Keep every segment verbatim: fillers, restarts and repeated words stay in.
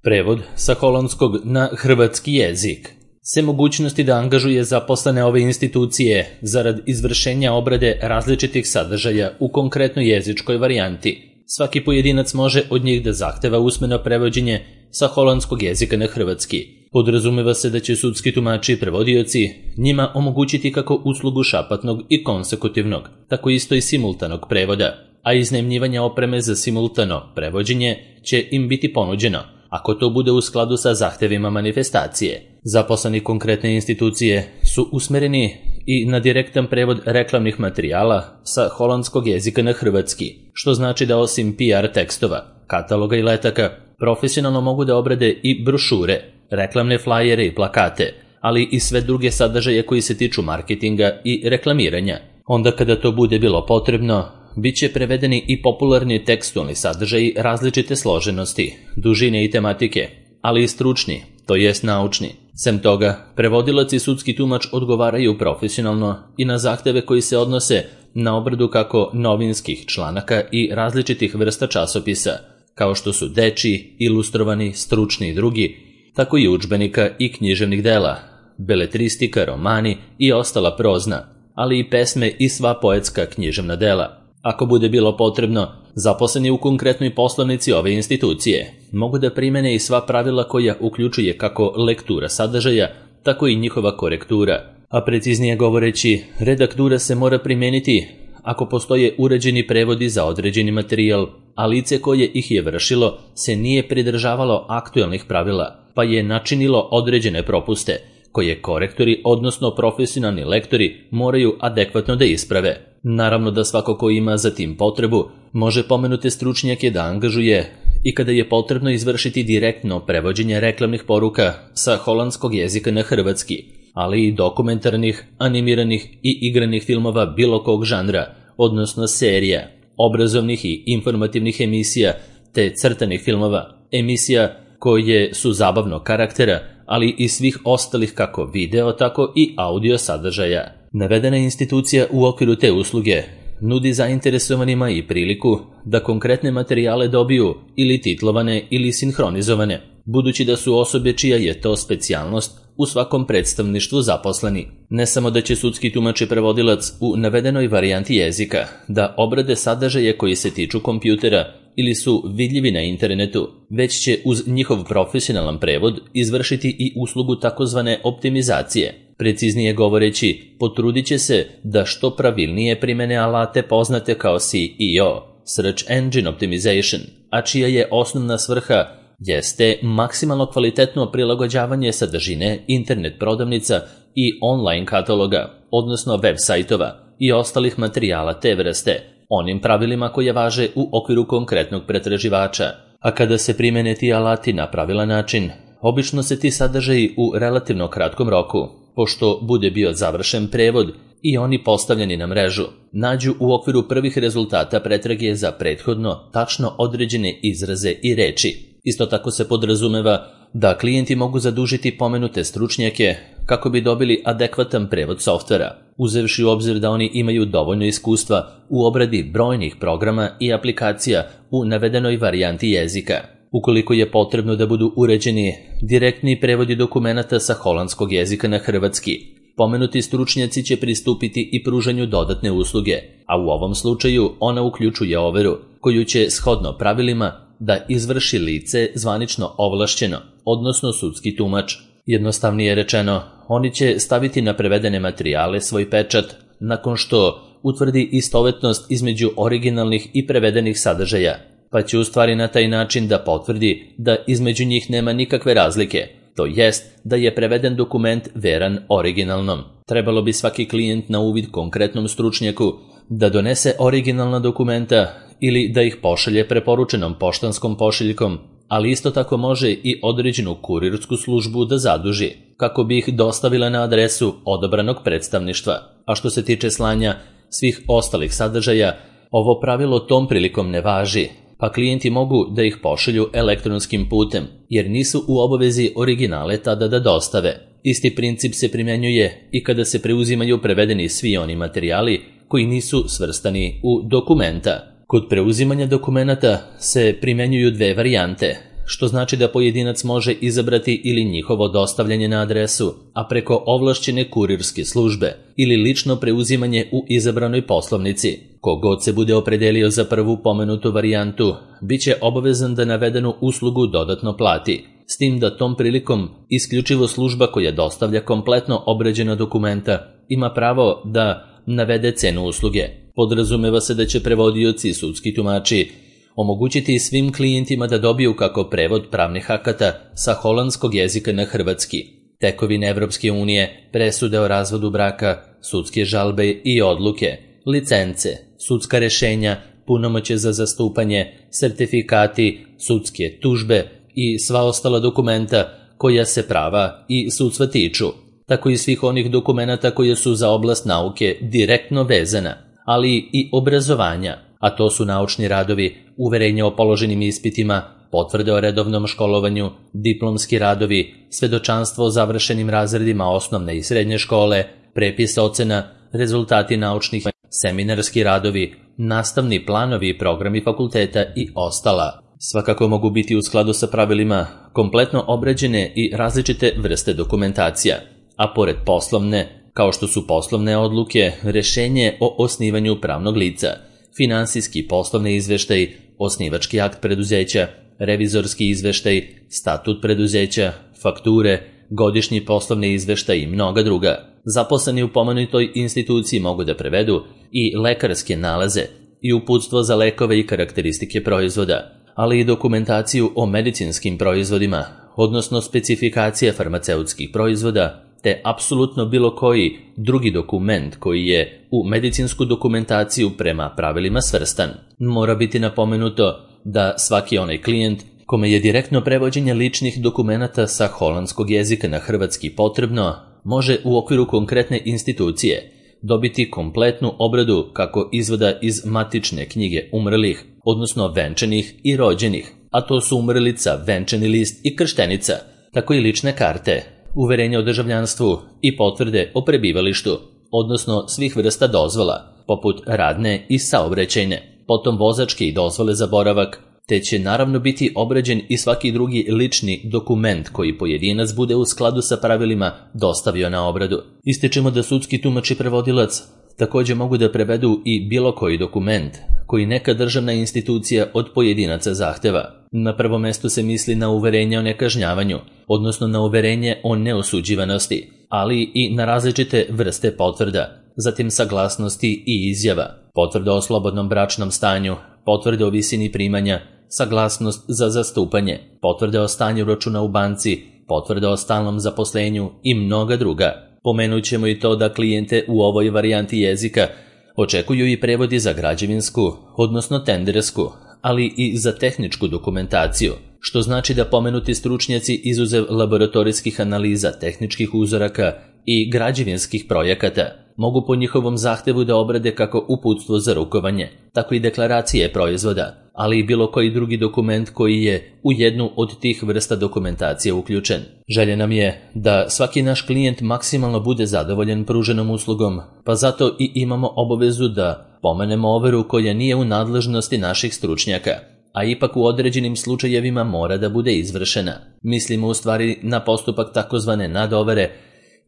Prevod sa holandskog na hrvatski jezik. Sem mogućnosti da angažuje zaposlene ove institucije zarad izvršenja obrade različitih sadržaja u konkretnoj jezičkoj varijanti, svaki pojedinac može od njih da zahteva usmeno prevođenje sa holandskog jezika na hrvatski. Podrazumeva se da će sudski tumači i prevodioci njima omogućiti kako uslugu šapatnog i konsekutivnog, tako isto i simultanog prevoda, a iznajmljivanje opreme za simultano prevođenje će im biti ponuđeno, ako to bude u skladu sa zahtevima manifestacije. Zaposleni konkretne institucije su usmereni i na direktan prevod reklamnih materijala sa holandskog jezika na hrvatski, što znači da osim P R tekstova, kataloga i letaka, profesionalno mogu da obrade i brošure, reklamne flajere i plakate, ali i sve druge sadržaje koji se tiču marketinga i reklamiranja. Onda kada to bude bilo potrebno, bit će prevedeni i popularni tekstualni sadržaji različite složenosti, dužine i tematike, ali i stručni, to jest naučni. Sem toga, prevodilac i sudski tumač odgovaraju profesionalno i na zahteve koji se odnose na obradu kako novinskih članaka i različitih vrsta časopisa, kao što su dečiji, ilustrovani, stručni i drugi, tako i udžbenika i književnih dela, beletristika, romani i ostala prozna, ali i pesme i sva poetska književna dela. Ako bude bilo potrebno, zaposleni u konkretnoj poslovnici ove institucije mogu da primene i sva pravila koja uključuje kako lektura sadržaja, tako i njihova korektura. A preciznije govoreći, redaktura se mora primeniti ako postoje uređeni prevodi za određeni materijal, a lice koje ih je vršilo se nije pridržavalo aktuelnih pravila, pa je načinilo određene propuste, koje korektori, odnosno profesionalni lektori, moraju adekvatno da isprave. Naravno da svako ko ima za tim potrebu može pomenute stručnjake da angažuje i kada je potrebno izvršiti direktno prevođenje reklamnih poruka sa holandskog jezika na hrvatski, ali i dokumentarnih, animiranih i igranih filmova bilo kog žanra, odnosno serija, obrazovnih i informativnih emisija te crtanih filmova, emisija koje su zabavnog karaktera, ali i svih ostalih kako video, tako i audio sadržaja. Navedena institucija u okviru te usluge nudi zainteresovanima i priliku da konkretne materijale dobiju ili titlovane ili sinhronizovane, budući da su osobe čija je to specijalnost u svakom predstavništvu zaposleni. Ne samo da će sudski tumač i prevodilac u navedenoj varijanti jezika da obrade sadržaje koji se tiču kompjutera ili su vidljivi na internetu, već će uz njihov profesionalan prevod izvršiti i uslugu takozvane optimizacije. Preciznije govoreći, potrudit će se da što pravilnije primene alate poznate kao S E O, Search Engine Optimization, a čija je osnovna svrha jeste maksimalno kvalitetno prilagođavanje sadržine internet prodavnica i online kataloga, odnosno web sajtova i ostalih materijala te vrste, onim pravilima koje važe u okviru konkretnog pretraživača. A kada se primene ti alati na pravilan način, obično se ti sadržaji u relativno kratkom roku, pošto bude bio završen prevod i oni postavljeni na mrežu, nađu u okviru prvih rezultata pretrage za prethodno tačno određene izraze i reči. Isto tako se podrazumeva da klijenti mogu zadužiti pomenute stručnjake kako bi dobili adekvatan prevod softvera, uzevši u obzir da oni imaju dovoljno iskustva u obradi brojnih programa i aplikacija u navedenoj varijanti jezika. Ukoliko je potrebno da budu uređeni direktni prevodi dokumenata sa holandskog jezika na hrvatski, pomenuti stručnjaci će pristupiti i pružanju dodatne usluge, a u ovom slučaju ona uključuje overu, koju će shodno pravilima da izvrši lice zvanično ovlašćeno, odnosno sudski tumač. Jednostavnije rečeno, oni će staviti na prevedene materijale svoj pečat nakon što utvrdi istovetnost između originalnih i prevedenih sadržaja, pa će u stvari na taj način da potvrdi da između njih nema nikakve razlike, to jest da je preveden dokument veran originalnom. Trebalo bi svaki klijent na uvid konkretnom stručnjaku da donese originalna dokumenta ili da ih pošalje preporučenom poštanskom pošiljkom, ali isto tako može i određenu kurirsku službu da zaduži, kako bi ih dostavila na adresu odabranog predstavništva. A što se tiče slanja svih ostalih sadržaja, ovo pravilo tom prilikom ne važi, pa klijenti mogu da ih pošalju elektronskim putem, jer nisu u obavezi originale tada da dostave. Isti princip se primjenjuje i kada se preuzimaju prevedeni svi oni materijali koji nisu svrstani u dokumenta. Kod preuzimanja dokumenata se primjenjuju dve varijante. što znači da pojedinac može izabrati ili njihovo dostavljanje na adresu, a preko ovlašćene kurirske službe ili lično preuzimanje u izabranoj poslovnici. Kogod se bude opredelio za prvu pomenutu varijantu, bit će obavezan da navedenu uslugu dodatno plati, s tim da tom prilikom isključivo služba koja dostavlja kompletno obrađena dokumenta ima pravo da navede cenu usluge. Podrazumeva se da će prevodioci i sudski tumači omogućiti svim klijentima da dobiju kako prevod pravnih akata sa holandskog jezika na hrvatski, tekovine Evropske unije, presude o razvodu braka, sudske žalbe i odluke, licence, sudska rešenja, punomoćje za zastupanje, sertifikati, sudske tužbe i sva ostala dokumenta koja se prava i sudstva tiču, tako i svih onih dokumenata koje su za oblast nauke direktno vezana, ali i obrazovanja, a to su naučni radovi, uverenje o položenim ispitima, potvrde o redovnom školovanju, diplomski radovi, svedočanstvo o završenim razredima osnovne i srednje škole, prepis ocena, rezultati naučnih, seminarski radovi, nastavni planovi i programi fakulteta i ostala. Svakako mogu biti u skladu sa pravilima kompletno obrađene i različite vrste dokumentacija, a pored poslovne, kao što su poslovne odluke, rešenje o osnivanju pravnog lica, finansijski poslovni izveštaj, osnivački akt preduzeća, revizorski izveštaj, statut preduzeća, fakture, godišnji poslovni izveštaj i mnoga druga. Zaposleni u pomenutoj instituciji mogu da prevedu i lekarske nalaze i uputstvo za lekove i karakteristike proizvoda, ali i dokumentaciju o medicinskim proizvodima, odnosno specifikacije farmaceutskih proizvoda, te apsolutno bilo koji drugi dokument koji je u medicinsku dokumentaciju prema pravilima svrstan. Mora biti napomenuto da svaki onaj klijent kome je direktno prevođenje ličnih dokumenata sa holandskog jezika na hrvatski potrebno, može u okviru konkretne institucije dobiti kompletnu obradu kako izvoda iz matične knjige umrlih, odnosno venčanih i rođenih, a to su umrlica, venčani list i krštenica, tako i lične karte, uverenje o državljanstvu i potvrde o prebivalištu, odnosno svih vrsta dozvola, poput radne i saobraćajne, potom vozačke i dozvole za boravak, te će naravno biti obrađen i svaki drugi lični dokument koji pojedinac bude u skladu sa pravilima dostavio na obradu. Ističemo da sudski tumač i prevodilac također mogu da prevedu i bilo koji dokument koji neka državna institucija od pojedinaca zahteva. Na prvom mestu se misli na uverenje o nekažnjavanju, odnosno na uverenje o neosuđivanosti, ali i na različite vrste potvrda, zatim saglasnosti i izjava, potvrda o slobodnom bračnom stanju, potvrde o visini primanja, saglasnost za zastupanje, potvrde o stanju računa u banci, potvrde o stalnom zaposlenju i mnoga druga. Pomenut ćemo i to da klijente u ovoj varijanti jezika očekuju i prevodi za građevinsku, odnosno tendersku, ali i za tehničku dokumentaciju, što znači da pomenuti stručnjaci izuzev laboratorijskih analiza, tehničkih uzoraka i građevinskih projekata mogu po njihovom zahtevu da obrade kako uputstvo za rukovanje, tako i deklaracije proizvoda, ali i bilo koji drugi dokument koji je u jednu od tih vrsta dokumentacije uključen. Želja nam je da svaki naš klijent maksimalno bude zadovoljan pruženom uslugom, pa zato i imamo obavezu da pomenemo overu koja nije u nadležnosti naših stručnjaka, a ipak u određenim slučajevima mora da bude izvršena. Mislimo u stvari na postupak takozvane nadovere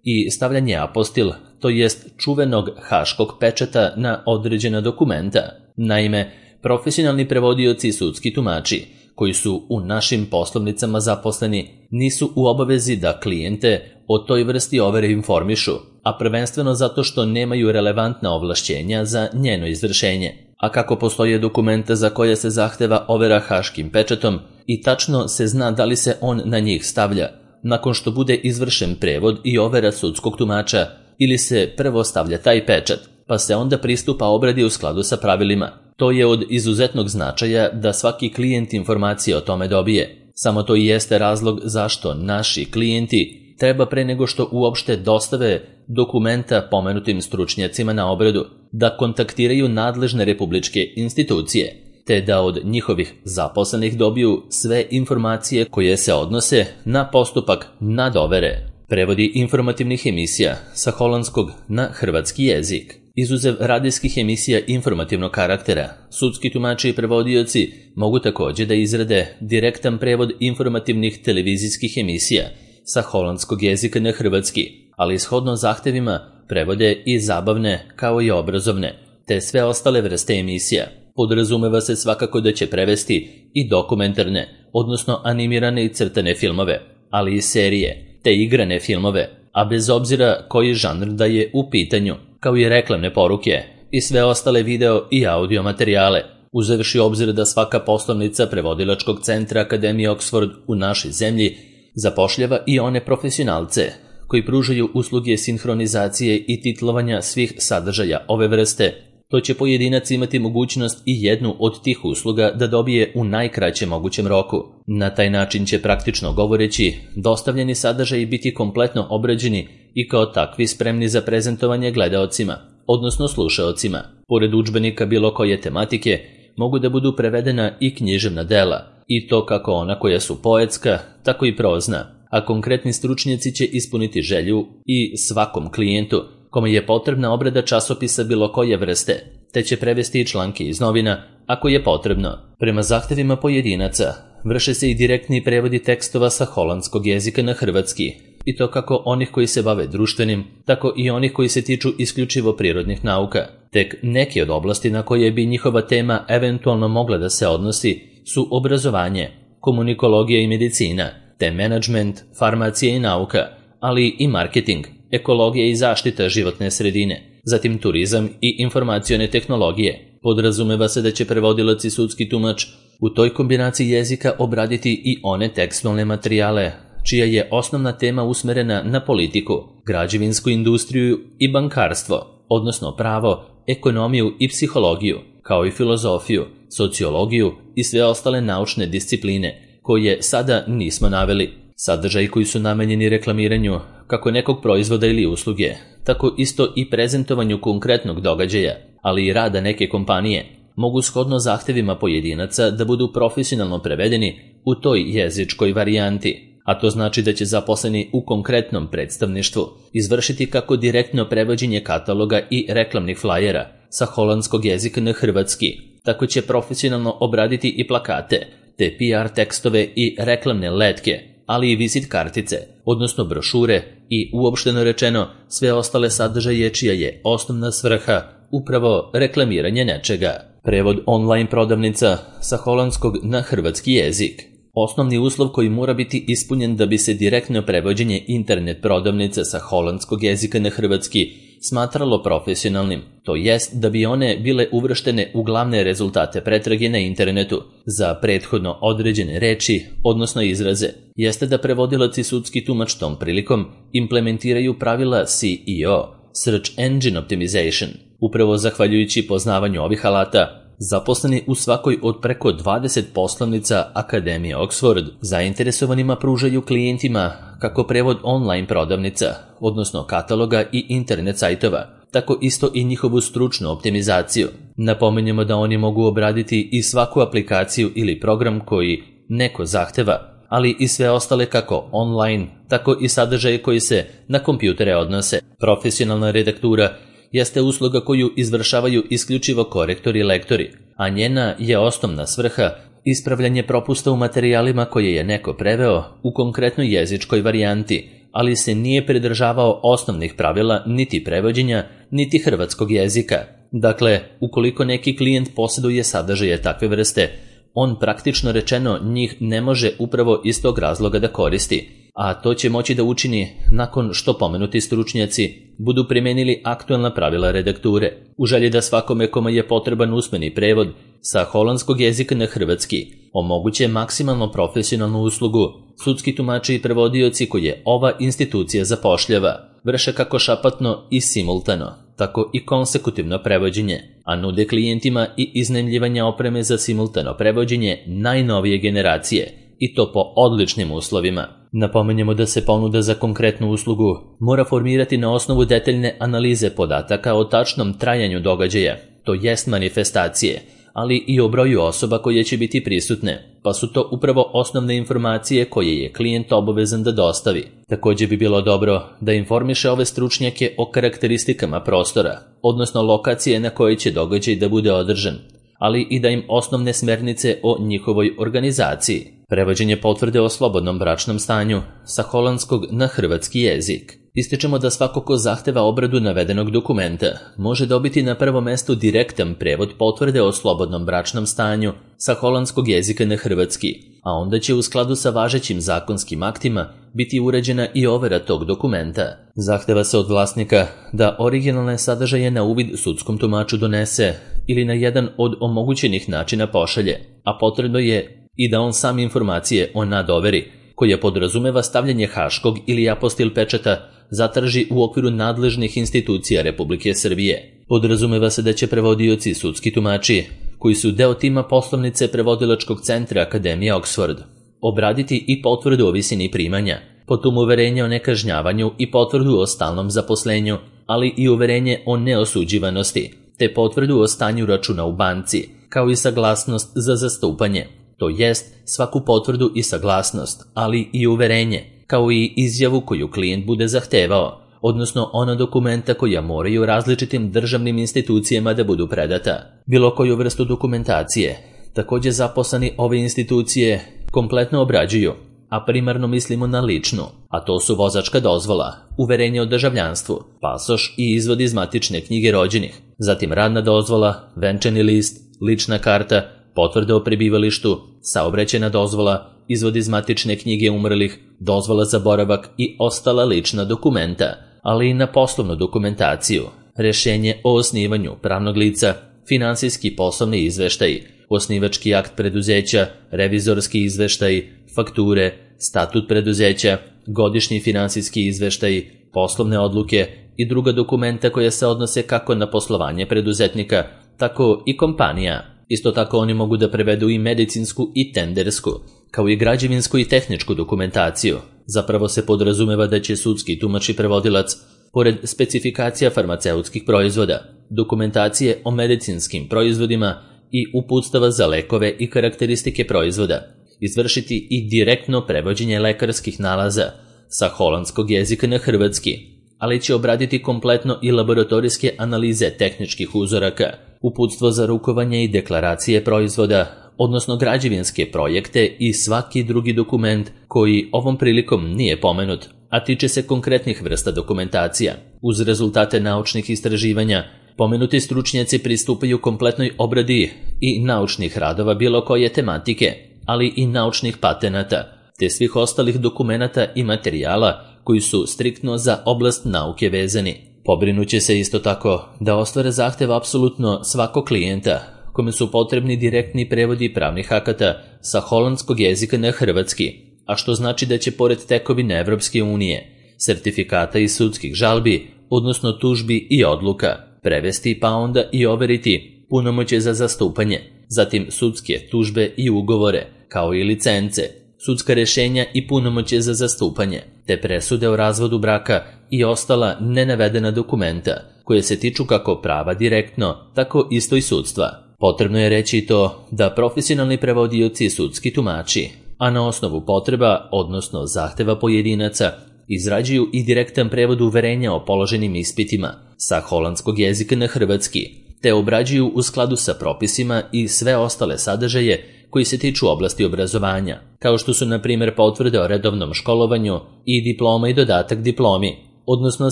i stavljanje apostil, to jest čuvenog haškog pečata na određena dokumenta. Naime, profesionalni prevodioci i sudski tumači, koji su u našim poslovnicama zaposleni, nisu u obavezi da klijente o toj vrsti overe informišu, a prvenstveno zato što nemaju relevantna ovlašćenja za njeno izvršenje. A kako postoje dokumenta za koje se zahteva overa haškim pečatom i tačno se zna da li se on na njih stavlja, nakon što bude izvršen prevod i overa sudskog tumača, ili se prvo stavlja taj pečat, pa se onda pristupa obradi u skladu sa pravilima. To je od izuzetnog značaja da svaki klijent informacije o tome dobije. Samo to i jeste razlog zašto naši klijenti treba pre nego što uopšte dostave dokumenta pomenutim stručnjacima na obradu, da kontaktiraju nadležne republičke institucije, te da od njihovih zaposlenih dobiju sve informacije koje se odnose na postupak nadovere. Prevodi informativnih emisija sa holandskog na hrvatski jezik. Izuzev radijskih emisija informativnog karaktera, sudski tumači i prevodioci mogu također da izrade direktan prevod informativnih televizijskih emisija sa holandskog jezika na hrvatski, ali shodno zahtevima prevode i zabavne kao i obrazovne, te sve ostale vrste emisija. Podrazumeva se svakako da će prevesti i dokumentarne, odnosno animirane i crtane filmove, ali i serije, te igrane filmove, a bez obzira koji žanr da je u pitanju, kao i reklamne poruke i sve ostale video i audio materijale, uzevši obzir da svaka poslovnica prevodilačkog centra Akademije Oxford u našoj zemlji zapošljava i one profesionalce koji pružaju usluge sinhronizacije i titlovanja svih sadržaja ove vrste. To će pojedinac imati mogućnost i jednu od tih usluga da dobije u najkraćem mogućem roku. Na taj način će praktično govoreći dostavljeni sadržaji biti kompletno obrađeni i kao takvi spremni za prezentovanje gledaocima, odnosno slušaocima. Pored udžbenika bilo koje tematike, mogu da budu prevedena i književna dela, i to kako ona koja su poetska, tako i prozna, a konkretni stručnjaci će ispuniti želju i svakom klijentu kome je potrebna obrada časopisa bilo koje vrste, te će prevesti i članke iz novina ako je potrebno. Prema zahtevima pojedinaca vrše se i direktni prevodi tekstova sa holandskog jezika na hrvatski, i to kako onih koji se bave društvenim, tako i onih koji se tiču isključivo prirodnih nauka. Tek neke od oblasti na koje bi njihova tema eventualno mogla da se odnosi su obrazovanje, komunikologija i medicina, te menadžment, farmacija i nauka, ali i marketing, ekologija i zaštita životne sredine, zatim turizam i informacione tehnologije. Podrazumeva se da će prevodilac i sudski tumač u toj kombinaciji jezika obraditi i one tekstualne materijale čija je osnovna tema usmerena na politiku, građevinsku industriju i bankarstvo, odnosno pravo, ekonomiju i psihologiju, kao i filozofiju, sociologiju i sve ostale naučne discipline koje sada nismo naveli. Sadržaji koji su namenjeni reklamiranju kako nekog proizvoda ili usluge, tako isto i prezentovanju konkretnog događaja, ali i rada neke kompanije, mogu shodno zahtevima pojedinaca da budu profesionalno prevedeni u toj jezičkoj varijanti, a to znači da će zaposleni u konkretnom predstavništvu izvršiti kako direktno prevođenje kataloga i reklamnih flajera sa holandskog jezika na hrvatski, tako će profesionalno obraditi i plakate, te P R tekstove i reklamne letke, ali i vizit kartice, odnosno brošure i uopšteno rečeno sve ostale sadržaje čija je osnovna svrha upravo reklamiranje nečega. Prevod online prodavnica sa holandskog na hrvatski jezik. Osnovni uslov koji mora biti ispunjen da bi se direktno prevođenje internet prodavnice sa holandskog jezika na hrvatski smatralo profesionalnim, to jest da bi one bile uvrštene u glavne rezultate pretrage na internetu za prethodno određene reči, odnosno izraze, jeste da prevodilac i sudski tumač tom prilikom implementiraju pravila C E O, Search Engine Optimization. Upravo zahvaljujući poznavanju ovih alata, zaposleni u svakoj od preko dvadeset poslovnica Akademije Oxford zainteresovanima pružaju klijentima kako prevod online prodavnica, odnosno kataloga i internet sajtova, tako isto i njihovu stručnu optimizaciju. Napominjemo da oni mogu obraditi i svaku aplikaciju ili program koji neko zahteva, ali i sve ostale kako online, tako i sadržaje koji se na kompjutere odnose. Profesionalna redaktura jeste usluga koju izvršavaju isključivo korektori i lektori, a njena je osnovna svrha ispravljanje propusta u materijalima koje je neko preveo u konkretnoj jezičkoj varijanti, ali se nije pridržavao osnovnih pravila niti prevođenja, niti hrvatskog jezika. Dakle, ukoliko neki klijent posjeduje sadržaje takve vrste, on praktično rečeno njih ne može upravo iz tog razloga da koristi, a to će moći da učini nakon što pomenuti stručnjaci budu primenili aktualna pravila redakture. U želji da svakome kome je potreban usmeni prevod sa holandskog jezika na hrvatski omoguće maksimalno profesionalnu uslugu, sudski tumači i prevodioci koje ova institucija zapošljava vrše kako šapatno i simultano, tako i konsekutivno prevođenje, a nude klijentima i iznajmljivanje opreme za simultano prevođenje najnovije generacije, i to po odličnim uslovima. Napomenjemo da se ponuda za konkretnu uslugu mora formirati na osnovu detaljne analize podataka o tačnom trajanju događaja, to jest manifestacije, ali i o broju osoba koje će biti prisutne, pa su to upravo osnovne informacije koje je klijent obavezan da dostavi. Takođe bi bilo dobro da informiše ove stručnjake o karakteristikama prostora, odnosno lokacije na kojoj će događaj da bude održan, ali i da im osnovne smernice o njihovoj organizaciji. Prevođenje potvrde o slobodnom bračnom stanju sa holandskog na hrvatski jezik. Ističemo da svako ko zahteva obradu navedenog dokumenta može dobiti na prvom mestu direktan prevod potvrde o slobodnom bračnom stanju sa holandskog jezika na hrvatski, a onda će u skladu sa važećim zakonskim aktima biti uređena i overa tog dokumenta. Zahteva se od vlasnika da originalne sadržaje na uvid sudskom tumaču donese ili na jedan od omogućenih načina pošalje, a potrebno je i da on sam informacije o nadoveri, koja podrazumeva stavljanje haškog ili apostil pečata, zatraži u okviru nadležnih institucija Republike Srbije. Podrazumeva se da će prevodioci i sudski tumači, koji su deo tima poslovnice prevodilačkog centra Akademije Oxford, obraditi i potvrdu o visini primanja, potom uverenje o nekažnjavanju i potvrdu o stalnom zaposlenju, ali i uverenje o neosuđivanosti, te potvrdu o stanju računa u banci, kao i saglasnost za zastupanje, to jest svaku potvrdu i saglasnost, ali i uverenje, kao i izjavu koju klijent bude zahtevao, odnosno ona dokumenta koja moraju različitim državnim institucijama da budu predata. Bilo koju vrstu dokumentacije, takođe zaposleni ove institucije kompletno obrađuju, a primarno mislimo na ličnu, a to su vozačka dozvola, uverenje o državljanstvu, pasoš i izvod iz matične knjige rođenih, zatim radna dozvola, venčani list, lična karta, potvrda o prebivalištu, saobraćajna dozvola, izvod iz matične knjige umrlih, dozvola za boravak i ostala lična dokumenta, ali i na poslovnu dokumentaciju, rešenje o osnivanju pravnog lica, finansijski poslovni izveštaj, osnivački akt preduzeća, revizorski izveštaj, fakture, statut preduzeća, godišnji finansijski izveštaj, poslovne odluke i druga dokumenta koja se odnose kako na poslovanje preduzetnika, tako i kompanija. Isto tako oni mogu da prevedu i medicinsku i tendersku, kao i građevinsku i tehničku dokumentaciju. Zapravo se podrazumeva da će sudski tumač i prevodilac, pored specifikacija farmaceutskih proizvoda, dokumentacije o medicinskim proizvodima i uputstava za lekove i karakteristike proizvoda, izvršiti i direktno prevođenje lekarskih nalaza sa holandskog jezika na hrvatski, ali će obraditi kompletno i laboratorijske analize tehničkih uzoraka, uputstvo za rukovanje i deklaracije proizvoda, odnosno građevinske projekte i svaki drugi dokument koji ovom prilikom nije pomenut, a tiče se konkretnih vrsta dokumentacija. Uz rezultate naučnih istraživanja, pomenuti stručnjaci pristupaju kompletnoj obradi i naučnih radova bilo koje tematike, ali i naučnih patenata, te svih ostalih dokumenata i materijala koji su striktno za oblast nauke vezani. Pobrinuće se isto tako da ostvare zahtev apsolutno svakog klijenta, kome su potrebni direktni prevodi pravnih akata sa holandskog jezika na hrvatski, a što znači da će pored tekovine Evropske unije, sertifikata i sudskih žalbi, odnosno tužbi i odluka, prevesti pa onda i overiti punomoćje za zastupanje, zatim sudske tužbe i ugovore, kao i licence, sudska rešenja i punomoćje za zastupanje, te presude o razvodu braka i ostala nenavedena dokumenta, koje se tiču kako prava direktno, tako isto i sudstva. Potrebno je reći i to da profesionalni prevodioci i sudski tumači, a na osnovu potreba, odnosno zahteva pojedinaca, izrađuju i direktan prevod uverenja o položenim ispitima sa holandskog jezika na hrvatski, te obrađuju u skladu sa propisima i sve ostale sadržaje koji se tiču oblasti obrazovanja, kao što su na primjer potvrde o redovnom školovanju i diploma i dodatak diplomi, odnosno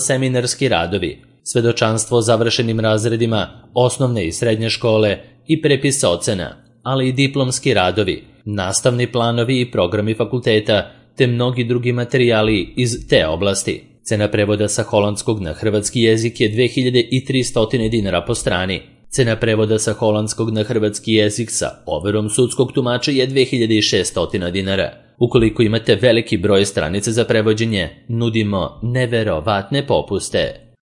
seminarski radovi, svedočanstvo o završenim razredima osnovne i srednje škole i prepis ocena, ali i diplomski radovi, nastavni planovi i programi fakulteta, te mnogi drugi materijali iz te oblasti. Cena prevoda sa holandskog na hrvatski jezik je dve hiljade tristo dinara po strani. Cena prevoda sa holandskog na hrvatski jezik sa overom sudskog tumača je dve hiljade šesto dinara. Ukoliko imate veliki broj stranica za prevođenje, nudimo neverovatne popuste.